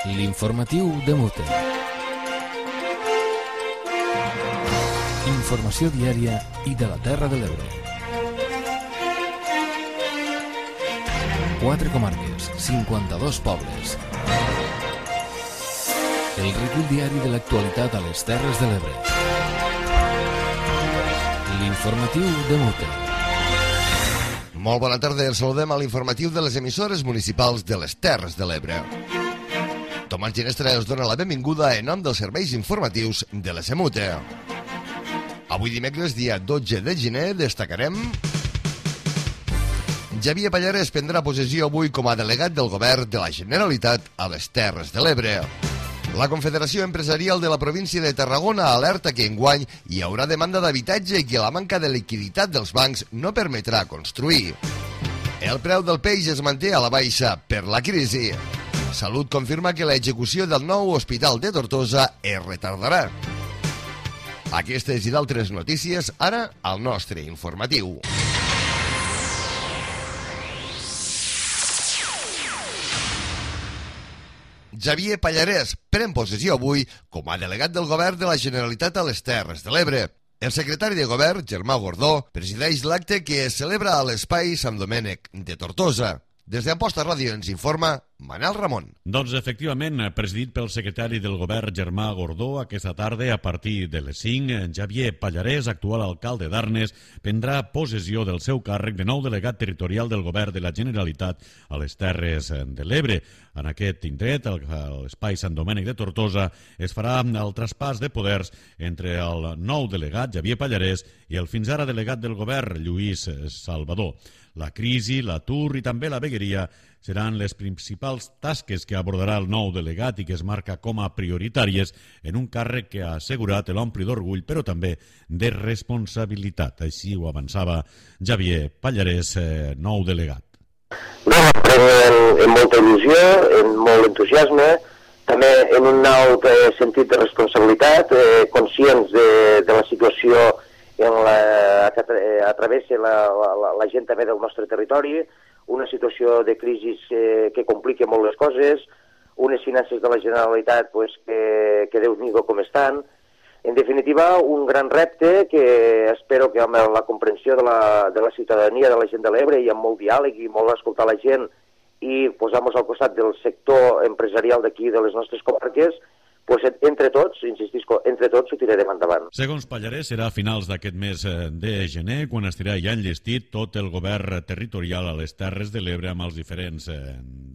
L'informatiu de Mute. Informació diària i de la Terra de l'Ebre. 4 comarques, 52 pobles. El recull diari de l'actualitat a les Terres de l'Ebre. L'informatiu de Mute. Molt bona tarda, els saludem a l'informatiu de les emissores municipals de les Terres de l'Ebre. Tomàs Ginestra us dona la benvinguda en nom dels serveis informatius de la SEMUTE. Avui dimecres, dia 12 de gener, destacarem... Xavier Pallares prendrà possessió avui com a delegat del govern de la Generalitat a les Terres de l'Ebre. La Confederació Empresarial de la província de Tarragona alerta que enguany hi haurà demanda d'habitatge i que la manca de liquiditat dels bancs no permetrà construir. El preu del peix es manté a la baixa per la crisi. Salut confirma que l'execució del nou hospital de Tortosa es retardarà. Aquestes i d'altres notícies ara al nostre informatiu. Xavier Pallares pren possessió avui com a delegat del govern de la Generalitat a les Terres de l'Ebre. El secretari de govern, Germà Gordó, presideix l'acte que es celebra a l'espai Sant Domènec de Tortosa. Des d'Amposta Ràdio ens informa Manel Ramon. Doncs efectivament, presidit pel secretari del govern Germà Gordó, aquesta tarda a partir de les 5, Xavier Pallares, actual alcalde d'Arnes, prendrà possessió del seu càrrec de nou delegat territorial del govern de la Generalitat a les Terres de l'Ebre. En aquest indret, a l'espai Sant Domènec de Tortosa, es farà el traspàs de poders entre el nou delegat, Xavier Pallares, i el fins ara delegat del govern, Lluís Salvador. La crisi, l'atur i també la vegueria seran les principals tasques que abordarà el nou delegat i que es marca com a prioritàries en un càrrec que ha assegurat l'ompli d'orgull, però també de responsabilitat. Així ho avançava Xavier Pallares, nou delegat. No, en molta il·lusió, en molt entusiasme, també en un alt sentit de responsabilitat, conscients de la situació que travessa la gent també del nostre territori, una situació de crisi que complica molt les coses, unes finances de la Generalitat que Déu-n'hi-do com estan. En definitiva, un gran repte que espero que amb la comprensió de la ciutadania, de la gent de l'Ebre, i amb molt diàleg i molt escoltar la gent i posar-nos al costat del sector empresarial d'aquí, de les nostres comarques, entre tots, insistisco, entre tots ho tirarem endavant. Segons Pallares, serà a finals d'aquest mes de gener quan estarà ja enllestit tot el govern territorial a les Terres de l'Ebre amb els diferents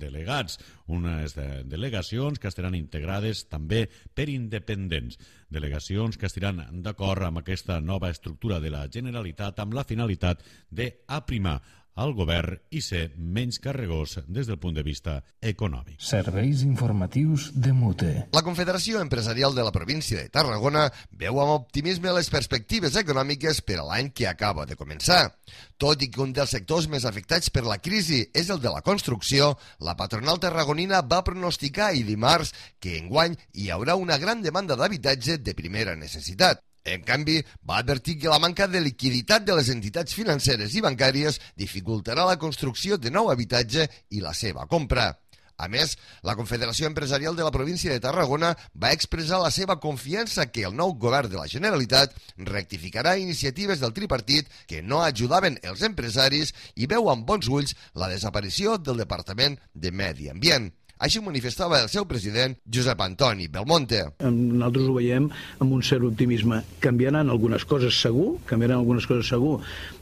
delegats, unes delegacions que estaran integrades també per independents, delegacions que estaran d'acord amb aquesta nova estructura de la Generalitat amb la finalitat d'aprimar al govern i ser menys carregós des del punt de vista econòmic. Serveis informatius de Mute. La Confederació Empresarial de la província de Tarragona veu amb optimisme les perspectives econòmiques per a l'any que acaba de començar. Tot i que un dels sectors més afectats per la crisi és el de la construcció, la patronal tarragonina va pronosticar ahir dimarts que enguany hi haurà una gran demanda d'habitatge de primera necessitat. En canvi, va advertir que la manca de liquiditat de les entitats financeres i bancàries dificultarà la construcció de nou habitatge i la seva compra. A més, la Confederació Empresarial de la província de Tarragona va expressar la seva confiança que el nou govern de la Generalitat rectificarà iniciatives del tripartit que no ajudaven els empresaris i veu amb bons ulls la desaparició del Departament de Medi Ambient. Així ho manifestava el seu president, Josep Antoni Belmonte. Nosaltres ho veiem amb un cert optimisme. Canviaran algunes coses segur,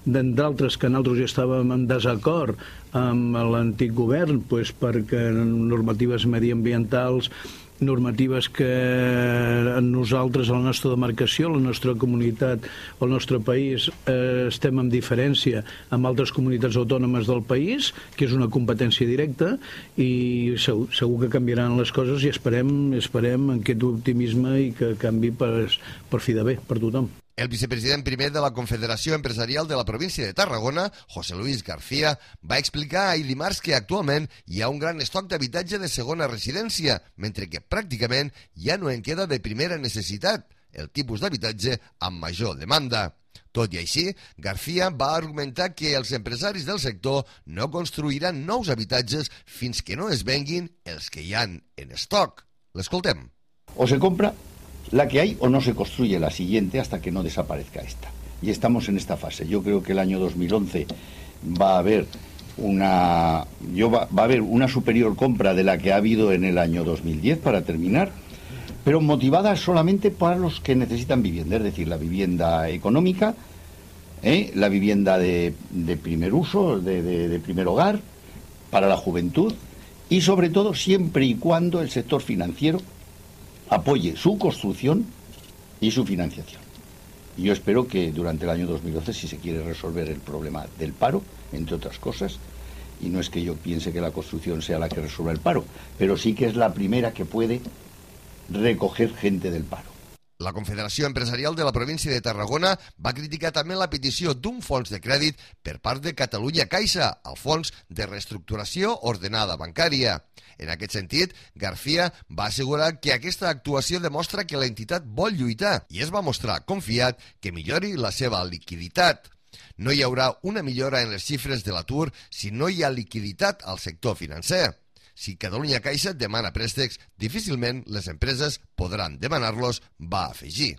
d'altres que nosaltres ja estàvem en desacord amb l'antic govern, perquè normatives mediambientals, normatives que nosaltres, a la nostra demarcació, la nostra comunitat, el nostre país, estem en diferència amb altres comunitats autònomes del país, que és una competència directa, i segur que canviaran les coses i esperem en aquest optimisme i que canvi per fi de bé, per tothom. El vicepresident primer de la Confederació Empresarial de la província de Tarragona, José Luis García, va explicar ahir dimarts que actualment hi ha un gran estoc d'habitatge de segona residència, mentre que pràcticament ja no en queda de primera necessitat, el tipus d'habitatge amb major demanda. Tot i així, García va argumentar que els empresaris del sector no construiran nous habitatges fins que no es venguin els que hi han en estoc. L'escoltem. O se compra la que hay o no se construye la siguiente hasta que no desaparezca esta. Y estamos en esta fase. Yo creo que el año 2011 va a haber una superior compra de la que ha habido en el año 2010, para terminar, pero motivada solamente para los que necesitan vivienda, es decir, la vivienda económica, la vivienda de primer uso, de primer hogar, para la juventud, y sobre todo siempre y cuando el sector financiero apoye su construcción y su financiación. Y yo espero que durante el año 2012, si se quiere resolver el problema del paro, entre otras cosas, y no es que yo piense que la construcción sea la que resuelva el paro, pero sí que es la primera que puede recoger gente del paro. La Confederació Empresarial de la província de Tarragona va criticar també la petició d'un fons de crèdit per part de Catalunya Caixa, el Fons de Reestructuració Ordenada Bancària. En aquest sentit, García va assegurar que aquesta actuació demostra que l'entitat vol lluitar i es va mostrar confiat que millori la seva liquiditat. No hi haurà una millora en les xifres de l'atur si no hi ha liquiditat al sector financer. Si Catalunya Caixa demana préstecs, difícilment les empreses podran demanar-los, va afegir.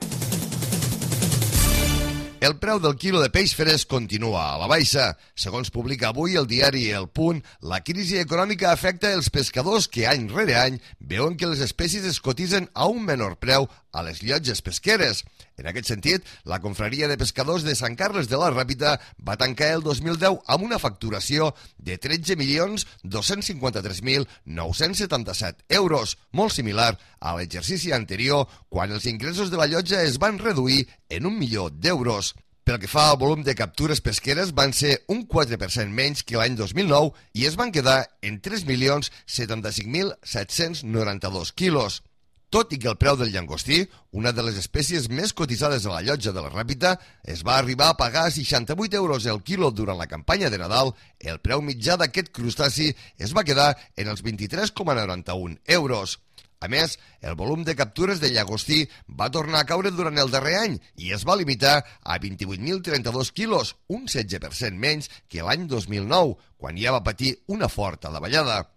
El preu del quilo de peix fresc continua a la baixa. Segons publica avui el diari El Punt, la crisi econòmica afecta els pescadors que any rere any veuen que les espècies es cotitzen a un menor preu a les llotges pesqueres. En aquest sentit, la Confraria de Pescadors de Sant Carles de la Ràpita va tancar el 2010 amb una facturació de 13.253.977 euros, molt similar a l'exercici anterior, quan els ingressos de la llotja es van reduir en 1 milió d'euros. Pel que fa al volum de captures pesqueres, van ser un 4% menys que l'any 2009 i es van quedar en 3.075.792 quilos. Tot i que el preu del llangostí, una de les espècies més cotitzades a la llotja de la Ràpita, es va arribar a pagar 68 euros el quilo durant la campanya de Nadal, el preu mitjà d'aquest crustaci es va quedar en els 23,91 euros. A més, el volum de captures de llagostí va tornar a caure durant el darrer any i es va limitar a 28.032 quilos, un 16% menys que l'any 2009, quan ja va patir una forta davallada.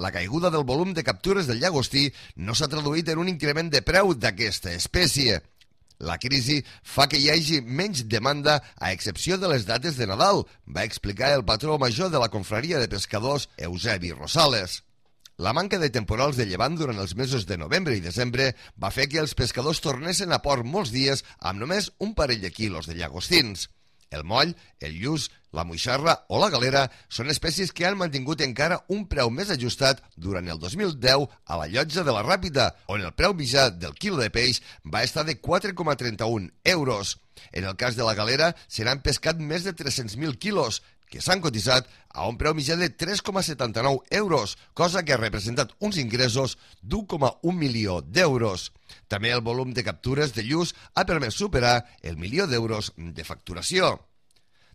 La caiguda del volum de captures del llagostí no s'ha traduït en un increment de preu d'aquesta espècie. La crisi fa que hi hagi menys demanda a excepció de les dates de Nadal, va explicar el patró major de la Confraria de Pescadors, Eusebi Rosales. La manca de temporals de llevant durant els mesos de novembre i desembre va fer que els pescadors tornessin a port molts dies amb només un parell de quilos de llagostins. El moll, el lluç, la moixarra o la galera són espècies que han mantingut encara un preu més ajustat durant el 2010 a la llotja de la Ràpita, on el preu mitjà del quilo de peix va estar de 4,31 euros. En el cas de la galera, se n'han pescat més de 300.000 quilos, que s'han cotitzat a un preu mitjà de 3,79 euros, cosa que ha representat uns ingressos d'1,1 milió d'euros. També el volum de captures de lluç ha permès superar el milió d'euros de facturació.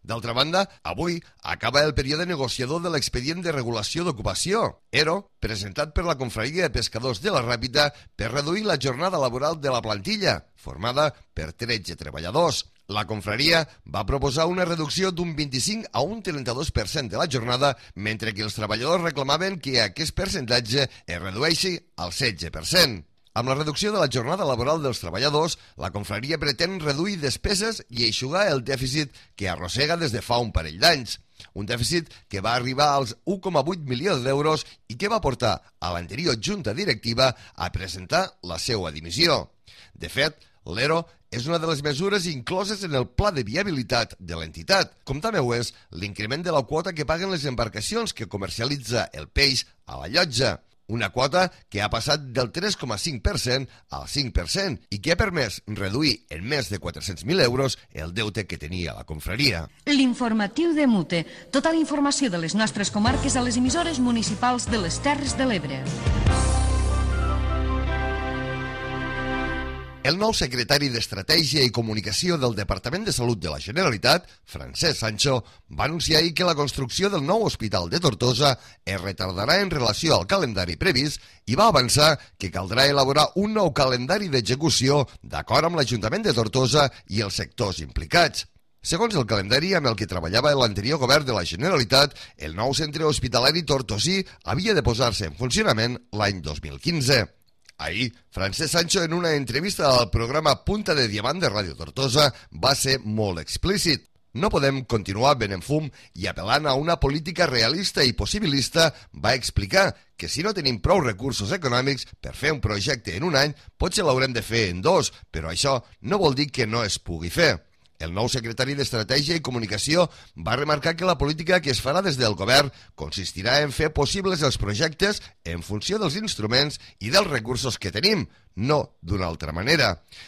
D'altra banda, avui acaba el període negociador de l'expedient de regulació d'ocupació, ERO, presentat per la Confraria de Pescadors de la Ràpita per reduir la jornada laboral de la plantilla, formada per 13 treballadors. La confraria va proposar una reducció d'un 25 a un 32% de la jornada, mentre que els treballadors reclamaven que aquest percentatge es redueixi al 16%. Amb la reducció de la jornada laboral dels treballadors, la confraria pretén reduir despeses i eixugar el dèficit que arrossega des de fa un parell d'anys. Un dèficit que va arribar als 1,8 milions d'euros i que va portar a l'anterior junta directiva a presentar la seva dimissió. De fet, l'ERO és una de les mesures incloses en el pla de viabilitat de l'entitat, com també ho és l'increment de la quota que paguen les embarcacions que comercialitza el peix a la llotja. Una quota que ha passat del 3,5% al 5% i que ha permès reduir en més de 400.000 euros el deute que tenia la confraria. L'informatiu de Mute. Tota la informació de les nostres comarques a les emissores municipals de les Terres de l'Ebre. El nou secretari d'Estratègia i Comunicació del Departament de Salut de la Generalitat, Francesc Sancho, va anunciar ahir que la construcció del nou hospital de Tortosa es retardarà en relació al calendari previst i va avançar que caldrà elaborar un nou calendari d'execució d'acord amb l'Ajuntament de Tortosa i els sectors implicats. Segons el calendari amb el que treballava l'anterior govern de la Generalitat, el nou centre hospitalari tortosí havia de posar-se en funcionament l'any 2015. Ahir, Francesc Sancho, en una entrevista al programa Punta de Diamant de Ràdio Tortosa, va ser molt explícit. No podem continuar venent fum i apel·lant a una política realista i possibilista, va explicar que si no tenim prou recursos econòmics per fer un projecte en un any, potser l'haurem de fer en 2, però això no vol dir que no es pugui fer. El nou secretari d'Estratègia i Comunicació va remarcar que la política que es farà des del govern consistirà en fer possibles els projectes en funció dels instruments i dels recursos que tenim, no d'una altra manera.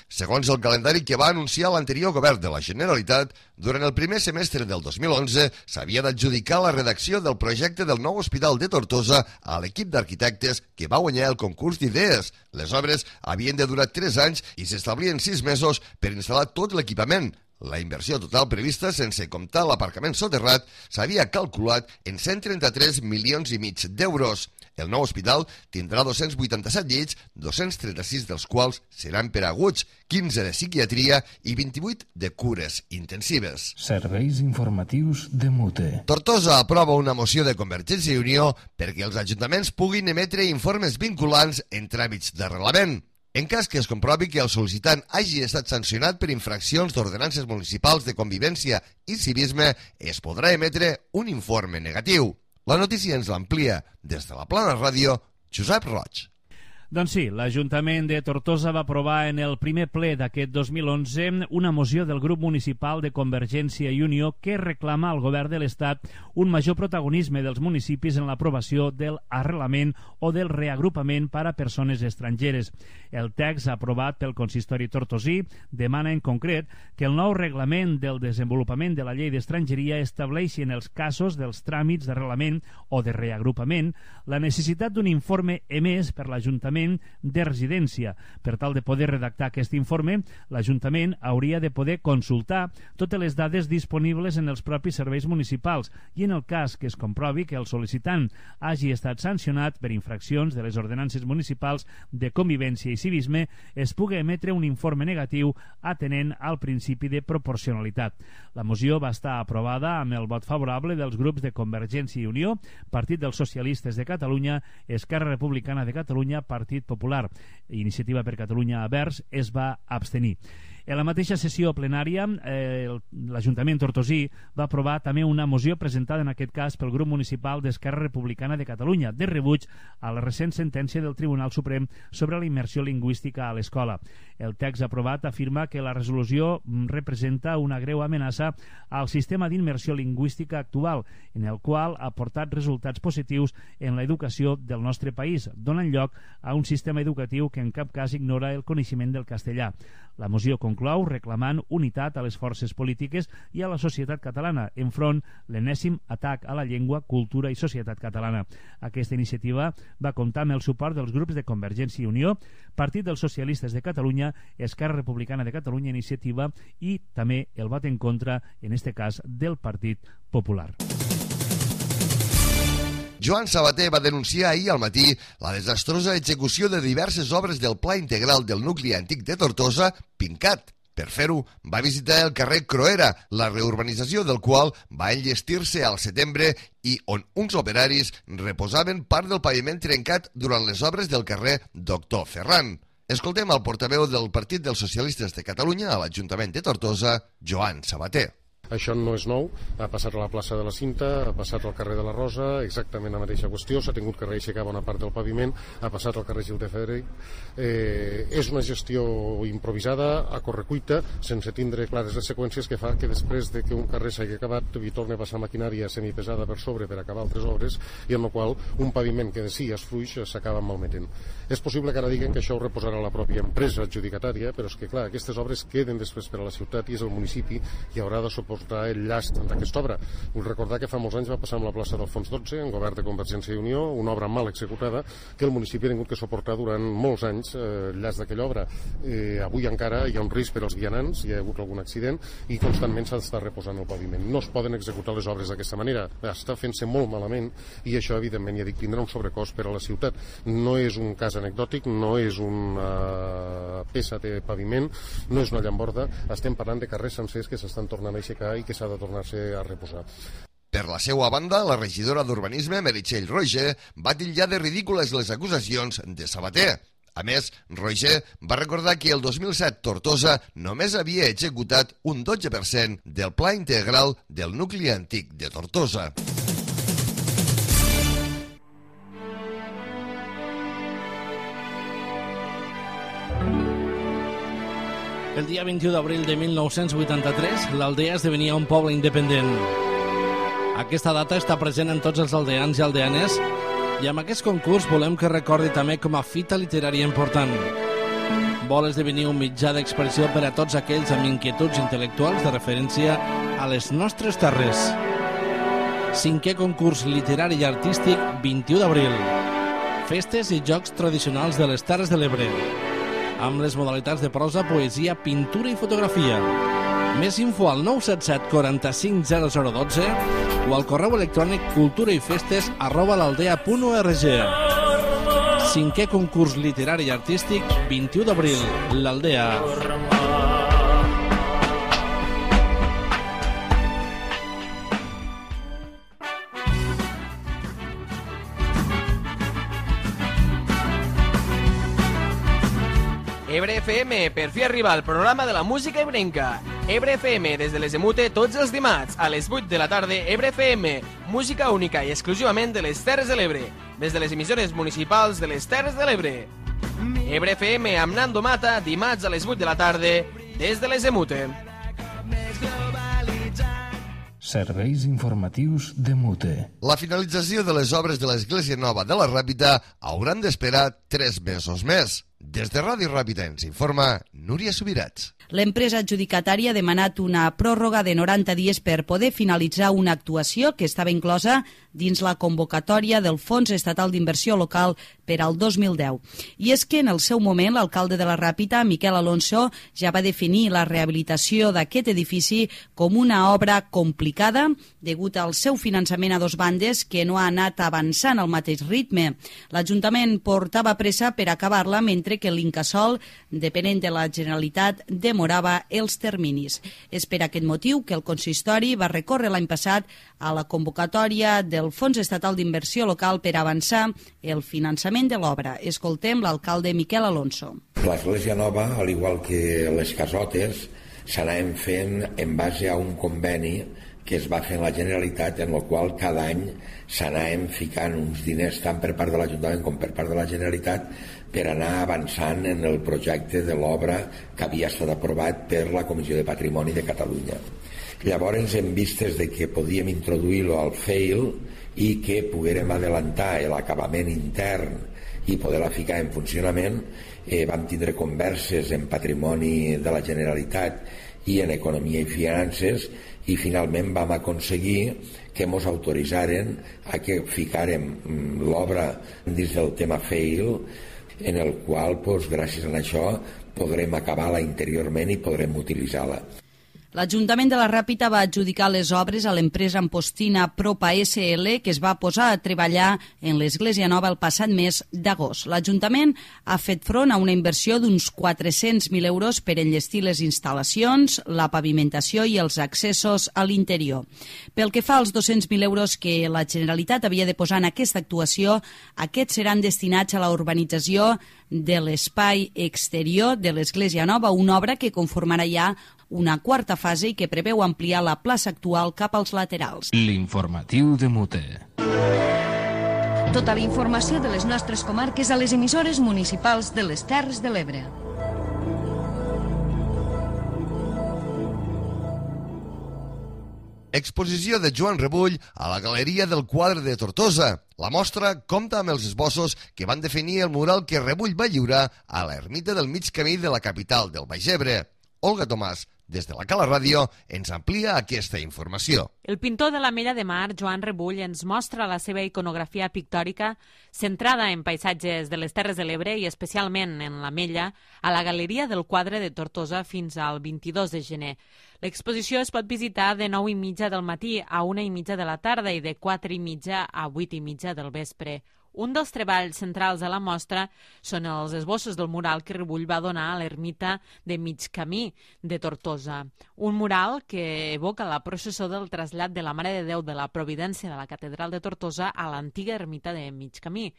Segons el calendari que va anunciar l'anterior govern de la Generalitat, durant el primer semestre del 2011 s'havia d'adjudicar la redacció del projecte del nou hospital de Tortosa a l'equip d'arquitectes que va guanyar el concurs d'idees. Les obres havien de durar 3 anys i s'establien 6 mesos per instal·lar tot l'equipament. La inversió total prevista, sense comptar l'aparcament soterrat, s'havia calculat en 133,5 milions d'euros. El nou hospital tindrà 287 llits, 236 dels quals seran per aguts, 15 de psiquiatria i 28 de cures intensives. Serveis informatius de Mute. Tortosa aprova una moció de Convergència i Unió perquè els ajuntaments puguin emetre informes vinculants en tràmits d'arrelament. En cas que es comprovi que el sol·licitant hagi estat sancionat per infraccions d'ordenances municipals de convivència i civisme, es podrà emetre un informe negatiu. La notícia ens l'amplia des de la Plana Ràdio, Josep Roig. Doncs sí, l'Ajuntament de Tortosa va aprovar en el primer ple d'aquest 2011 una moció del grup municipal de Convergència i Unió que reclama al govern de l'Estat un major protagonisme dels municipis en l'aprovació del arrelament o del reagrupament per a persones estrangeres. El text aprovat pel consistori tortosí demana en concret que el nou reglament del desenvolupament de la llei d'estrangeria estableixi en els casos dels tràmits d'arrelament o de reagrupament la necessitat d'un informe emès per l'Ajuntament de residència. Per tal de poder redactar aquest informe, l'Ajuntament hauria de poder consultar totes les dades disponibles en els propis serveis municipals i en el cas que es comprovi que el sol·licitant hagi estat sancionat per infraccions de les ordenances municipals de convivència i civisme, es pugui emetre un informe negatiu atenent al principi de proporcionalitat. La moció va estar aprovada amb el vot favorable dels grups de Convergència i Unió, Partit dels Socialistes de Catalunya, Esquerra Republicana de Catalunya, Partit Popular. Iniciativa per Catalunya Verds es va abstenir. En la mateixa sessió plenària, l'Ajuntament tortosí va aprovar també una moció presentada en aquest cas pel grup municipal d'Esquerra Republicana de Catalunya, de rebuig a la recent sentència del Tribunal Suprem sobre la immersió lingüística a l'escola. El text aprovat afirma que la resolució representa una greu amenaça al sistema d'immersió lingüística actual, en el qual ha portat resultats positius en l'educació del nostre país, donant lloc a un sistema educatiu que en cap cas ignora el coneixement del castellà. La moció conclou reclamant unitat a les forces polítiques i a la societat catalana enfront l'enèsim atac a la llengua, cultura i societat catalana. Aquesta iniciativa va comptar amb el suport dels grups de Convergència i Unió, Partit dels Socialistes de Catalunya, Esquerra Republicana de Catalunya, Iniciativa i també el vot en contra, en este cas, del Partit Popular. Joan Sabater va denunciar ahir al matí la desastrosa execució de diverses obres del Pla Integral del nucli antic de Tortosa, Pincat. Per fer-ho, va visitar el carrer Croera, la reurbanització del qual va enllestir-se al setembre i on uns operaris reposaven part del paviment trencat durant les obres del carrer Doctor Ferran. Escoltem el portaveu del Partit dels Socialistes de Catalunya a l'Ajuntament de Tortosa, Joan Sabater. Això no és nou, ha passat a la plaça de la Cinta, ha passat al carrer de la Rosa, exactament la mateixa qüestió, s'ha tingut que reaixecar bona part del paviment, ha passat al carrer Gil de Federic. És una gestió improvisada, a correcuita, sense tindre clares les seqüències que fa que després de que un carrer s'hagi acabat hi torni a passar maquinària semipesada per sobre per acabar altres obres i en la qual un paviment que de si és fluix s'acaba malmetent. És possible que ara diguen que això ho reposarà la pròpia empresa adjudicatària, però és que clar, aquestes obres queden després per a la ciutat i és el municipi qui haurà de suposar suportar el llast d'aquesta obra. Vull recordar que fa molts anys va passar amb la plaça d'Alfons XII, en govern de Convergència i Unió, una obra mal executada que el municipi ha tingut que suportar durant molts anys el llast d'aquella obra. Avui encara hi ha un risc per als vianants, hi ha hagut algun accident i constantment s'ha d'estar reposant el paviment. No es poden executar les obres d'aquesta manera, està fent-se molt malament i això evidentment ja dic tindrà un sobrecost per a la ciutat. No és un cas anecdòtic, no és una peça de paviment, no és una llamborda, estem parlant de carrers sencers que s'estan tornant a aixecar i que s'ha de tornar-se a reposar. Per la seva banda, la regidora d'Urbanisme, Meritxell Roger, va titllar de ridícules les acusacions de Sabater. A més, Roger va recordar que el 2007 Tortosa només havia executat un 12% del pla integral del nucli antic de Tortosa. El dia 21 d'abril de 1983, l'aldea esdevenia un poble independent. Aquesta data està present en tots els aldeans i aldeanes i amb aquest concurs volem que recordi també com a fita literària important. Vol esdevenir un mitjà d'expressió per a tots aquells amb inquietuds intel·lectuals de referència a les nostres terres. 5è concurs literari i artístic 21 d'abril. Festes i jocs tradicionals de les Terres de l'Ebre, amb les modalitats de prosa, poesia, pintura i fotografia. Més info al 977 45 0012 o al correu electrònic culturaifestes@l'aldea.org. 5è concurs literari i artístic 21 d'abril, l'Aldea. Ebre FM, per fi arriba al programa de la música ebrenca. Ebre FM, des de les Emute, tots els dimarts, a les 8 de la tarda, Ebre FM, música única i exclusivament de les Terres de l'Ebre, des de les emissores municipals de les Terres de l'Ebre. Ebre FM amb Nando Mata, dimarts a les 8 de la tarda, des de les Emute. Serveis informatius de Mute. La finalització de les obres de l'Església Nova de la Ràpita hauran d'esperar 3 mesos més. Des de Ràdio Ràpita ens informa Núria Subirats. L'empresa adjudicatària ha demanat una pròrroga de 90 dies per poder finalitzar una actuació que estava inclosa dins la convocatòria del Fons Estatal d'Inversió Local per al 2010. I és que en el seu moment l'alcalde de la Ràpita, Miquel Alonso, ja va definir la rehabilitació d'aquest edifici com una obra complicada degut al seu finançament a 2 bandes que no ha anat avançant al mateix ritme. L'Ajuntament portava pressa per acabar-la mentre que l'Incasòl, depenent de la Generalitat, demorava els terminis. És per aquest motiu que el consistori va recórrer l'any passat a la convocatòria del Fons Estatal d'Inversió Local per avançar el finançament de l'obra. Escoltem l'alcalde Miquel Alonso. L'Església Nova, al igual que les casotes, s'anaven fent en base a un conveni que es va fer en la Generalitat, en el qual cada any s'anaven ficant uns diners tant per part de l'Ajuntament com per part de la Generalitat per anar avançant en el projecte de l'obra que havia estat aprovat per la Comissió de Patrimoni de Catalunya. Llavors, en vistes de que podíem introduir-lo al FEIL i que poguérem adelantar l'acabament intern i poder-la ficar en funcionament, vam tindre converses en Patrimoni de la Generalitat i en Economia i Finances i finalment vam aconseguir que ens autoritzaren a que ficàrem l'obra dins del tema FEIL, en el qual, gràcies a això, podrem acabar-la interiorment i podrem utilitzar-la. L'Ajuntament de la Ràpita va adjudicar les obres a l'empresa ampostina Propa SL, que es va posar a treballar en l'Església Nova el passat mes d'agost. L'Ajuntament ha fet front a una inversió d'uns 400.000 euros per enllestir les instal·lacions, la pavimentació i els accessos a l'interior. Pel que fa als 200.000 euros que la Generalitat havia de posar en aquesta actuació, aquests seran destinats a la urbanització de l'espai exterior de l'Església Nova, una obra que conformarà ja una 4a fase i que preveu ampliar la plaça actual cap als laterals. L'informatiu de Mute. Tota la informació de les nostres comarques a les emissores municipals de les Terres de l'Ebre. Exposició de Joan Rebull a la Galeria del Quadre de Tortosa. La mostra compta amb els esbossos que van definir el mural que Rebull va lliurar a l'ermita del mig camí de la capital del Baix Ebre. Olga Tomàs, des de la Cala Ràdio, ens amplia aquesta informació. El pintor de l'Ametlla de Mar, Joan Rebull, ens mostra la seva iconografia pictòrica centrada en paisatges de les Terres de l'Ebre i especialment en l'Ametlla a la Galeria del Quadre de Tortosa fins al 22 de gener. L'exposició es pot visitar de 9:30 del matí a 1:30 de la tarda i de 4:30 a 8:30 del vespre. Un dels treballs centrals de la mostra són els esbossos del mural que Rebull va donar a l'ermita de Mig Camí de Tortosa. Un mural que evoca la processó del trasllat de la Mare de Déu de la Providència de la Catedral de Tortosa a l'antiga ermita de Mig Camí.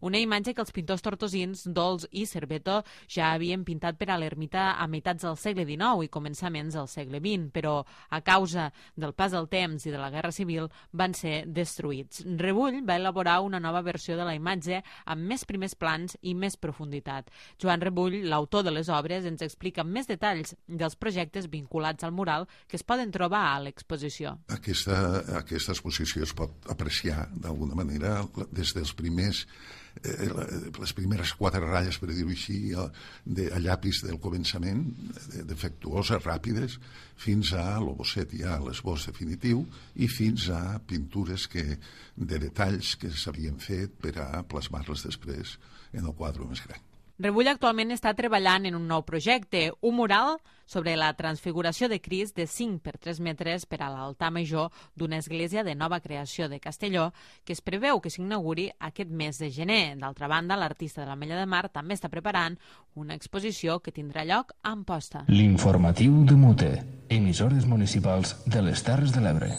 Una imatge que els pintors tortosins Dols i Cerveto ja havien pintat per a l'ermita a meitats del segle XIX i començaments del segle XX, però a causa del pas del temps i de la Guerra Civil van ser destruïts. Rebull va elaborar una nova versió de la imatge amb més primers plans i més profunditat. Joan Rebull, l'autor de les obres, ens explica amb més detalls dels projectes vinculats al mural que es poden trobar a l'exposició. Aquesta exposició es pot apreciar d'alguna manera des dels primers les primeres 4 ratlles, per dir-ho així, a llapis del començament, defectuoses, ràpides, fins a l'obosset ja, l'esbós definitiu, i fins a pintures de detalls que s'havien fet per a plasmar-les després en el quadre més gran. Rebull actualment està treballant en un nou projecte, un mural sobre la transfiguració de Crist de 5 per 3 metres per a l'altar major d'una església de nova creació de Castelló, que es preveu que s'inauguri aquest mes de gener. D'altra banda, l'artista de l'Ametlla de Mar també està preparant una exposició que tindrà lloc a Amposta. L'informatiu de Mute, emissores municipals de les Terres de l'Ebre.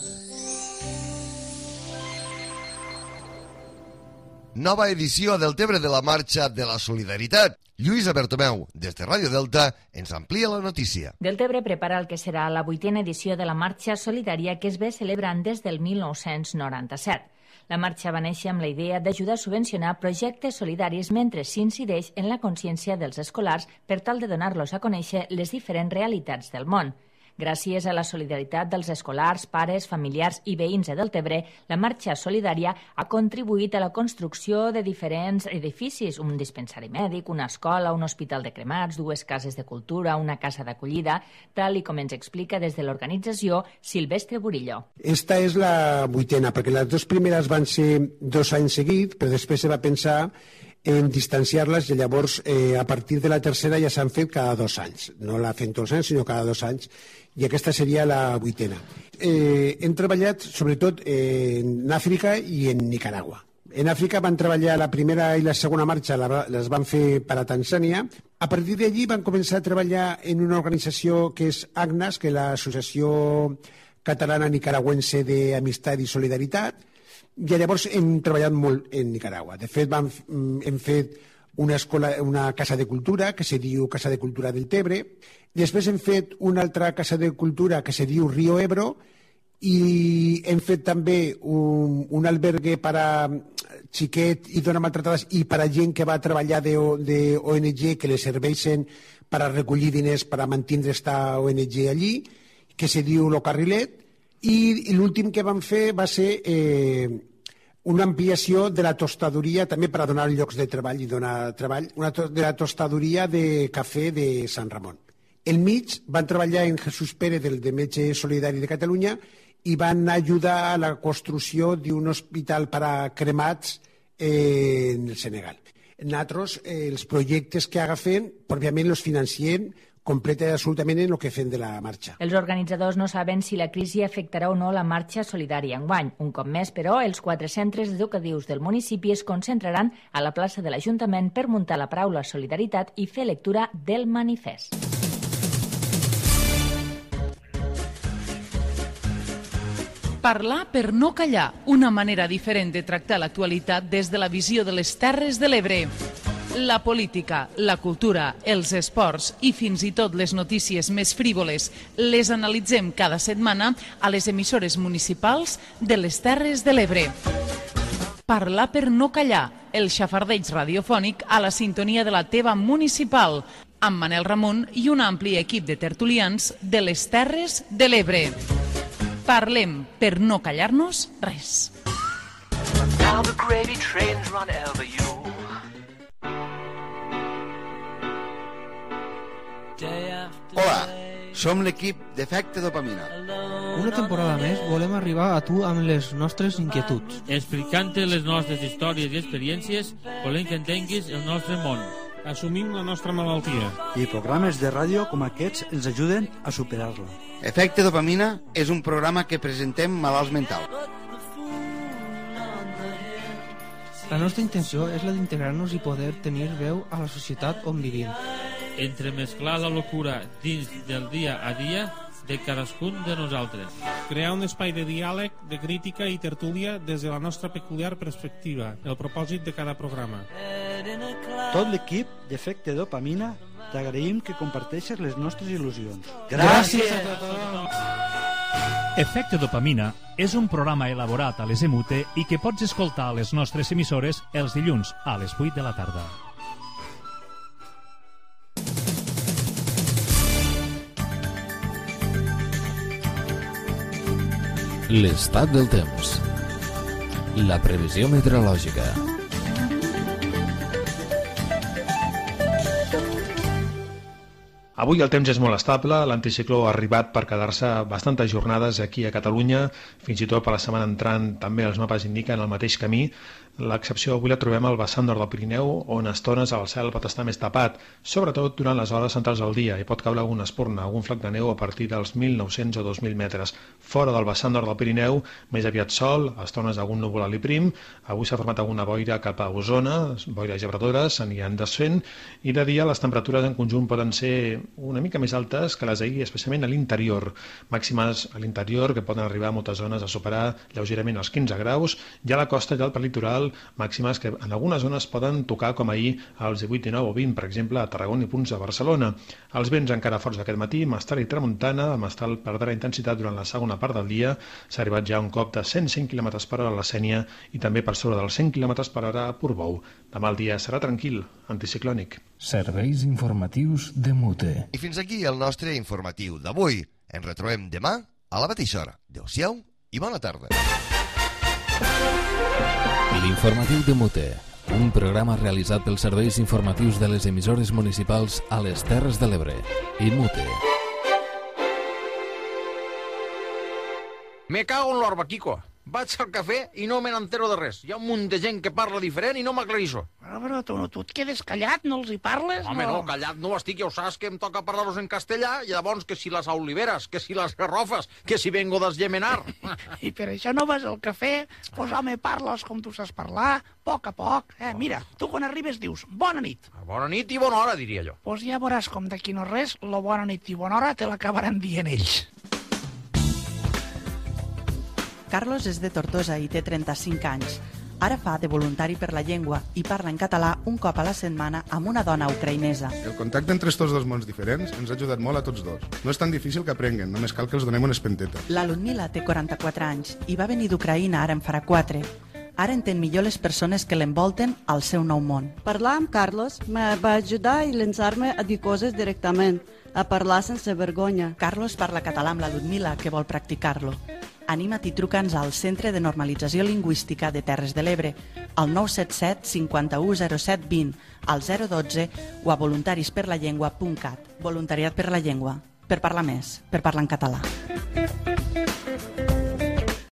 Nova edició del Tebre de la Marxa de la Solidaritat. Lluïsa Bertomeu, des de Ràdio Delta, ens amplia la notícia. Deltebre prepara el que serà la 8a edició de la Marxa Solidària que es ve celebrant des del 1997. La marxa va néixer amb la idea d'ajudar a subvencionar projectes solidaris mentre s'incideix en la consciència dels escolars per tal de donar-los a conèixer les diferents realitats del món. Gràcies a la solidaritat dels escolars, pares, familiars i veïns de Deltebre, la marxa solidària ha contribuït a la construcció de diferents edificis, un dispensari mèdic, una escola, un hospital de cremats, 2 cases de cultura, una casa d'acollida, tal i com ens explica des de l'organització Silvestre Burillo. Esta és la 8a, perquè les 2 primeres van ser 2 anys seguits, però després se va pensar en distanciar-les i llavors a partir de la tercera ja s'han fet cada 2 anys. No la fem tots els anys, sinó cada 2 anys. I aquesta seria la 8a. Hem treballat sobretot en Àfrica i en Nicaragua. En Àfrica van treballar la primera i la segona marxa, les van fer per a Tanzània. A partir d'allí van començar a treballar en una organització que és ACNAS, que és l'Associació Catalana Nicaragüense d'Amistat i Solidaritat, i llavors hem treballat molt en Nicaragua. De fet, hem fet una casa de cultura que se diu Casa de Cultura del Tebre. Després hem fet una altra casa de cultura que se diu Río Ebro i hem fet també un albergue per a xiquet i dones maltratades i per a gent que va treballar d'ONG que les serveixen per a recollir diners per a mantenir esta ONG allí, que se diu Lo Carrilet, i l'últim que vam fer va ser una ampliació de la tostadoria també per a donar llocs de treball i donar treball, de la tostadoria de cafè de Sant Ramon. Al mig van treballar en Jesús Pérez, del de Metge Solidari de Catalunya, i van ajudar a la construcció d'un hospital per a cremats en el Senegal. Nosaltres, els projectes que agafem, òbviament els financiem completa i absolutament en el que fem de la marxa. Els organitzadors no saben si la crisi afectarà o no la marxa solidària enguany. Un cop més, però, els 4 centres educatius del municipi es concentraran a la plaça de l'Ajuntament per muntar la paraula solidaritat i fer lectura del manifest. Parlar per no callar, una manera diferent de tractar l'actualitat des de la visió de les Terres de l'Ebre. La política, la cultura, els esports i fins i tot les notícies més frívoles les analitzem cada setmana a les emissores municipals de les Terres de l'Ebre. Parlar per no callar, el xafardeig radiofònic a la sintonia de la teva municipal, amb Manel Ramon i un ampli equip de tertulians de les Terres de l'Ebre. Parlem per no callar-nos res. Hola, Som l'equip d'Efecte Dopamina. Una temporada més volem arribar a tu amb les nostres inquietuds. Explicant-te les nostres històries i experiències, volem que entenguis el nostre món. Assumim la nostra malaltia. I programes de ràdio com aquests ens ajuden a superar-la. Efecte Dopamina és un programa que presentem malalts mentals. La nostra intenció és la d'integrar-nos i poder tenir veu a la societat on vivim. Entremesclar la locura dins del dia a dia de cadascun de nosaltres. Crear un espai de diàleg, de crítica i tertúlia des de la nostra peculiar perspectiva, el propòsit de cada programa. Tot l'equip d'Efecte Dopamina t'agraïm que comparteixes les nostres il·lusions. Gràcies a tothom! Efecte Dopamina és un programa elaborat a les EMUTE i que pots escoltar a les nostres emissores els dilluns a les 8 de la tarda. L'estat del temps. La previsió meteorològica. Avui el temps és molt estable, l'anticicló ha arribat per quedar-se bastantes jornades aquí a Catalunya, fins i tot per la setmana entrant també els mapes indiquen el mateix camí. L'excepció avui la trobem al vessant nord del Pirineu, on a estones el cel pot estar més tapat, sobretot durant les hores centrals del dia, i pot caure alguna espurna, algun flac de neu a partir dels 1.900 o 2.000 metres. Fora del vessant nord del Pirineu, més aviat sol, a estones algun núvol alt i prim, avui s'ha format alguna boira cap a Osona, boires gebradores, s'aniran desfent, i de dia les temperatures en conjunt poden ser una mica més altes que les d'ahir, especialment a l'interior. Màximes a l'interior que poden arribar a moltes zones a superar lleugerament els 15 graus, i a la costa i al perlitoral màximes que en algunes zones poden tocar com ahir als 18, 19 o 20, per exemple a Tarragona i punts de Barcelona. Els vents encara forts aquest matí, mestral i tramuntana, el mestral perdrà intensitat durant la segona part del dia, s'ha arribat ja a un cop de 105 km per hora a la Sénia i també per sobre dels 100 km per hora a Portbou. Demà el dia serà tranquil, anticiclònic. Serveis informatius de MUTE. I fins aquí el nostre informatiu d'avui. Ens retrobem demà a la mateixa hora. Adéu-siau i bona tarda. L'informatiu de MUTE, un programa realitzat pels serveis informatius de les emissores municipals a les Terres de l'Ebre i MUTE. Me cago en l'orba, Kiko. Vaig al cafè i no me n'entero de res. Hi ha un munt de gent que parla diferent i no m'aclarisso. Però tu et quedes callat, no els hi parles? Home, no, callat no estic, ja ho saps que em toca parlar-los en castellà, i llavors que si les oliveres, que si les garrofes, que si vengo d'Esgemenar. I per això no vas al cafè? Pues home, parles com tu saps parlar, a poc. Mira, tu quan arribes dius, bona nit. Bona nit i bona hora, diria jo. Pues ja veuràs com d'aquí no res, la bona nit i bona hora te l'acabaran dient ells. Carlos és de Tortosa i té 35 anys. Ara fa de voluntari per la llengua i parla en català un cop a la setmana amb una dona ucraïnesa. El contacte entre estos dos mons diferents ens ha ajudat molt a tots dos. No és tan difícil que aprenguen, només cal que els donem una espenteta. La Ludmila té 44 anys i va venir d'Ucraïna ara en farà 4. Ara entén millor les persones que l'envolten al seu nou món. Parlar amb Carlos me va ajudar a llançar-me a dir coses directament, a parlar sense vergonya. Carlos parla català amb la Ludmila, que vol practicar-lo. Anima't i truca'ns al Centre de Normalització Lingüística de Terres de l'Ebre, al 977 51 07 20, al 012 o a voluntarisperlallengua.cat. Voluntariat per la llengua, per parlar més, per parlar en català.